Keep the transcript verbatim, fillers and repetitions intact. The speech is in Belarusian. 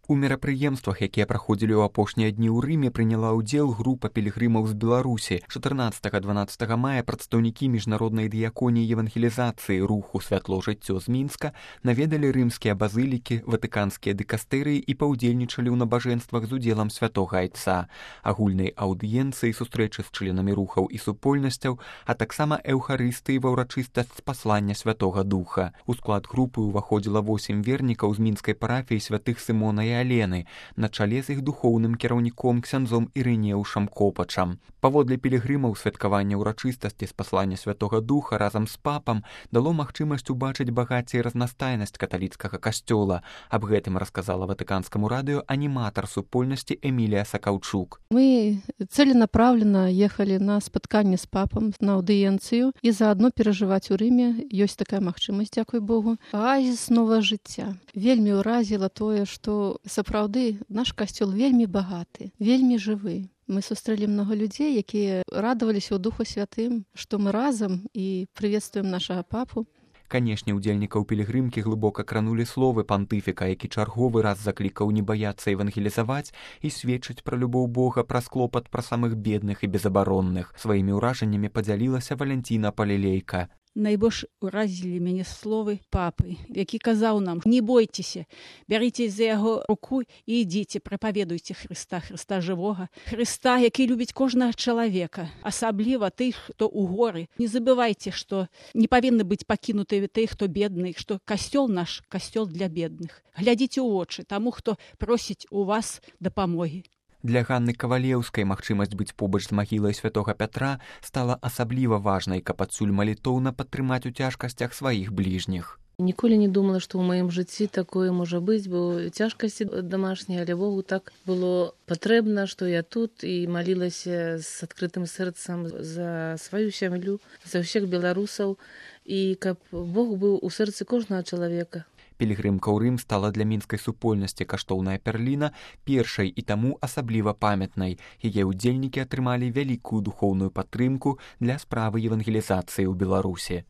У мерапрыемствах, якія праходзілі ў апошнія дні ў Рыме, прыняла ўдзел група пілігрымаў з Беларусі. чатырнаццатага-дванаццатага мая прадстаўнікі міжнароднай дыяконіі евангелізацыі руху «Святло жыццё» з Мінска наведалі рымскія базылікі, ватыканскія дыкастэрыі і паўдзельнічалі ў набажэнствах з удзелам святога айца, агульнай аўдыенцыі, сустрэчы з членамі рухаў і супольнасцяў, а таксама эўхарыстыі ва ўрачыстасць паслання Святога Духа. У склад групы ўваходзіла восем вернікаў з мінскай парафіі святых Сымона і Алены, на чале з іх духоўным кіраўніком ксяндзом Ірынеўшам Копачам. Паводле пілігрымаў святкаванне ўрачыстасці з паслання Святога Духа разам з папам дало магчымасць убачыць багацце і разнастайнасць каталіцкага касцёла. Аб гэтым расказала ватыканскаму радыё аніматар супольнасці Эмілія Сакаўчук. Мы целенаправленно ехали на спатканне з папам, на аўдыенцыю, і заадно перажываць у Рыме. Ёсць такая магчымасць, дзякуй Богу. Аазіс новага жыцця. Вельмі ўразіла тое, што сапраўды наш касцёл вельмі багаты, вельмі жывы. Мы сустрэлі многа людзей, якія радаваліся ў Духу Святым, што мы разам і прыветствуем нашага папу. Канешне, удзельнікаў пілігрымкі глыбока кранулі словы пантыфіка, які чарговы раз заклікаў не баяцца евангелізаваць і сведчыць пра любоў Бога, праз клопат пра самых бедных і безабаронных. Сваімі ўражаннямі падзялілася Валянціна Палілейка. Найбольш уразілі мяне словы папы, які казаў нам: не бойцеся, бярыце за яго руку і ідзіце, прапаведуйце Хрыста, Хрыста жывога, Хрыста, які любіць кожнага чалавека, асабліва тых, хто ў горы. Не забывайце, што не павінны быць пакінутыя тых, хто бедны, што касцёл наш касцёл для бедных. Глядзіце ў вочы таму, хто просіць у вас дапамогі. Для Ганны Кавалеўскай магчымасць быць побач з магілай святога Пятра стала асабліва важнай, каб адсюль малітоўна падтрымаць у цяжкасцях сваіх бліжніх. Ніколі не думала, што ў маім жыцці такое можа быць, бо цяжкасці дамашнія, але Богу так было патрэбна, што я тут і малілася з адкрытым сэрцам за сваю сям'ю, за ўсіх беларусаў, і каб Бог быў у сэрцы кожнага чалавека. Пілігрымка ў Рым стала для мінскай супольнасці каштоўная перліна, першай і таму асабліва памятнай. Яе ўдзельнікі атрымалі вялікую духоўную падтрымку для справы евангелізацыі ў Беларусі.